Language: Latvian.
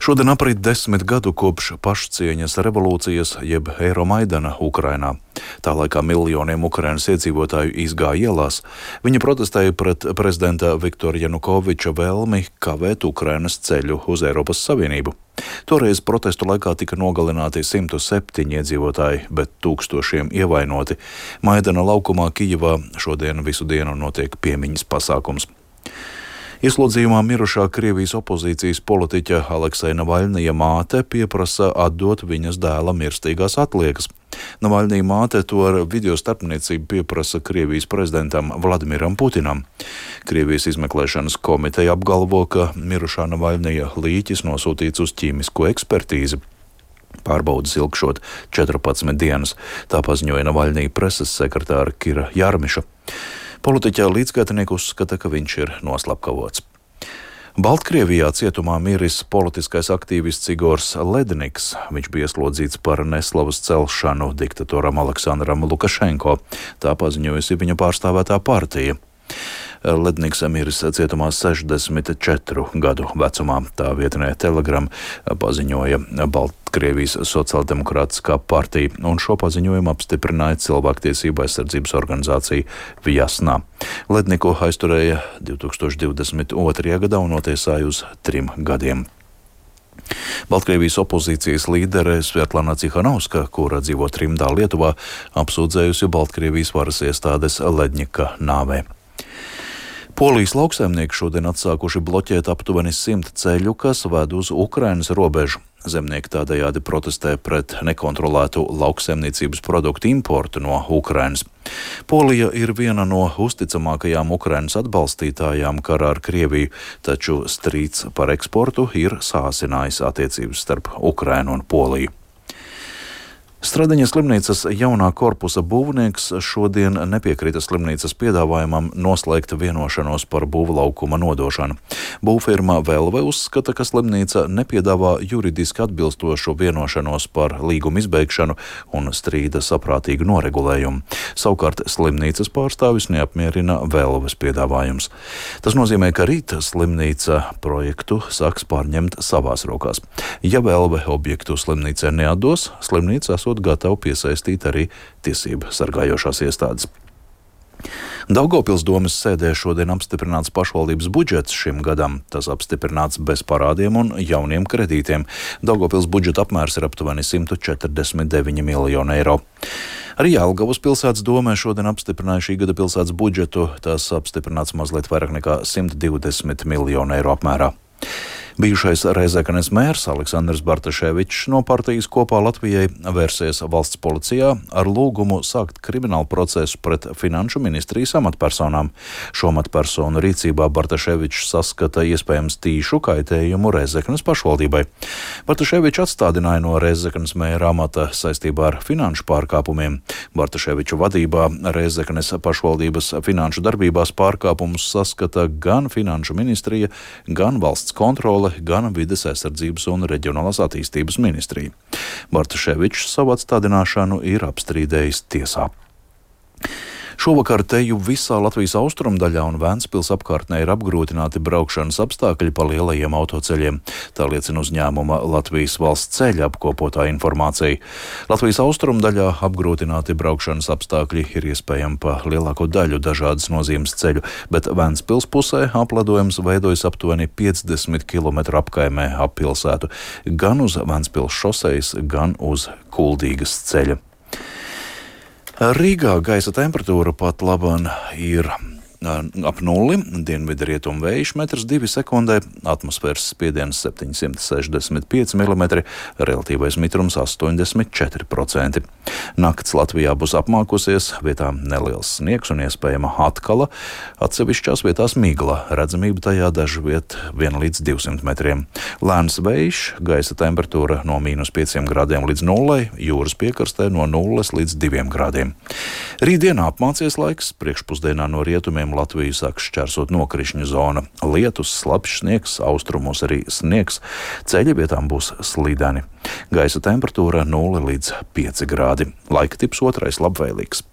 Šodien aprit 10 gadu kopš pašcieņas revolūcijas jeb Eiromaidana Ukrainā. Tā laikā miljoniem Ukrainas iedzīvotāju izgāja ielās. Viņi protestēja pret prezidenta Viktora Janukoviča vēlmi kavēt Ukrainas ceļu uz Eiropas Savienību. Toreiz protestu laikā tika nogalināti 107 iedzīvotāji, bet tūkstošiem ievainoti. Maidana laukumā Kijevā šodien visu dienu notiek piemiņas pasākums. Ieslodzījumā mirušā Krievijas opozīcijas politiķa Alekseja Navaļnija māte pieprasa atdot viņas dēla mirstīgās atliekas. Navaļnija māte to ar video starpniecību pieprasa Krievijas prezidentam Vladimiram Putinam. Krievijas izmeklēšanas komiteja apgalvo, ka mirušā Navaļnija līķis nosūtīts uz ķīmisko ekspertīzi. Pārbaudas ilgšot 14 dienas, tā paziņoja Navaļnija preses sekretāra Kira Jarmiša. Politiķa līdzgaitnieki uzskata, ka viņš ir noslapkavots. Baltkrievijā cietumā miris politiskais aktīvists Igors Ledniks. Viņš bija ieslodzīts par neslavas celšanu diktatoram Aleksandram Lukašenko. Tā paziņojusi viņa pārstāvētā partija. Ledniks miris cietumā 64 gadu vecumā. Tā vietnē Telegram paziņoja Baltkrievijas sociāldemokrātiskā partija, un šo paziņojumu apstiprināja cilvēktiesību aizsardzības organizācija Vjasna. Ledniku aizturēja 2022. gadā un notiesāja uz 3 gadiem. Baltkrievijas opozīcijas līdere Svetlana Cihanovska, kura dzīvo Trimdā, Lietuvā, apsūdzējusi Baltkrievijas varas iestādes Ledņika nāvē. Polijas lauksaimnieki šodien atsākuši bloķēt aptuveni 100 ceļu, kas ved uz Ukrainas robežu. Zemnieki tādējādi protestē pret nekontrolētu lauksaimniecības produktu importu no Ukrainas. Polija ir viena no uzticamākajām Ukrainas atbalstītājām karā ar Krieviju, taču strīds par eksportu ir sāsinājis attiecības starp Ukrainu un Poliju. Stradiņa slimnīcas jaunā korpusa būvnieks šodien nepiekrita slimnīcas piedāvājumam noslēgt vienošanos par būvlaukuma nodošanu. Būvfirma Velve uzskata, ka slimnīca nepiedāvā juridiski atbilstošu vienošanos par līguma izbeigšanu un strīda saprātīgu noregulējumu. Savukārt slimnīcas pārstāvis neapmierina Velves piedāvājums. Tas nozīmē, ka rīt slimnīca projektu sāks pārņemt savās rokās. Ja Velve objektu slimnīcai neatdos, slimnīca esot gatavu piesaistīt arī tiesību sargājošās iestādes. Daugavpils domes sēdē šodien apstiprināts pašvaldības budžets šim gadam. Tas apstiprināts bez parādiem un jauniem kredītiem. Daugavpils budžeta apmērs ir aptuveni 149 miljoni eiro. Arī Jelgavas pilsētas domē šodien apstiprināja šī gada pilsētas budžetu. Tas apstiprināts mazliet vairāk nekā 120 miljonu eiro apmērā. Bijušais Rēzeknes mērs Aleksandrs Bartaševičs no partijas Kopā Latvijai vērsies valsts policijā ar lūgumu sākt kriminālu procesu pret finanšu ministrijas amatpersonām. Šo amatpersonu rīcībā Bartaševičs saskata iespējams tīšu kaitējumu Rēzeknes pašvaldībai. Bartaševičs atstādināja no Rēzeknes mēra amata saistībā ar finanšu pārkāpumiem. Bartaševiča vadībā Rēzeknes pašvaldības finanšu darbībās pārkāpumus saskata gan finanšu ministrija, gan valsts kontrole, gan vides aizsardzības un reģionālās attīstības ministrija. Bartaševičs savu atstādināšanu ir apstrīdējis tiesā. Šovakar teju visā Latvijas austrumdaļā un Ventspils apkārtnē ir apgrūtināti braukšanas apstākļi pa lielajiem autoceļiem. Tā liecina uzņēmuma Latvijas valsts ceļa apkopotā informācija. Latvijas austrumdaļā apgrūtināti braukšanas apstākļi ir iespējami pa lielāko daļu dažādas nozīmes ceļu, bet Ventspils pusē apledojums veidojas aptuveni 50 km apkaimē ap pilsētu, gan uz Ventspils šosejas, gan uz Kuldīgas ceļa. Rīgā gaisa temperatūra pat laban ir ap nulli, dienvidu rietumu vējš 1,2 sekundē, atmosfēras spiediens 765 mm, relatīvais mitrums 84%. Nakts Latvijā būs apmākusies, vietām neliels sniegs un iespējama atkala, atsevišķās vietās migla, redzamība tajā dažviet 1 līdz 200 metriem. Lēns vējš, gaisa temperatūra no -5 grādiem līdz 0, jūras piekrastē no 0 līdz 2 grādiem. Rītdienā apmācies laiks, priekšpusdienā no rietumiem Latviju sāks šķērsot nokrišņu zona. Lietus, slapjš sniegs, austrumos arī sniegs, ceļi vietām būs slīdeni. Gaisa temperatūra 0 līdz 5 grādi. Laika tips otrais labvēlīgs.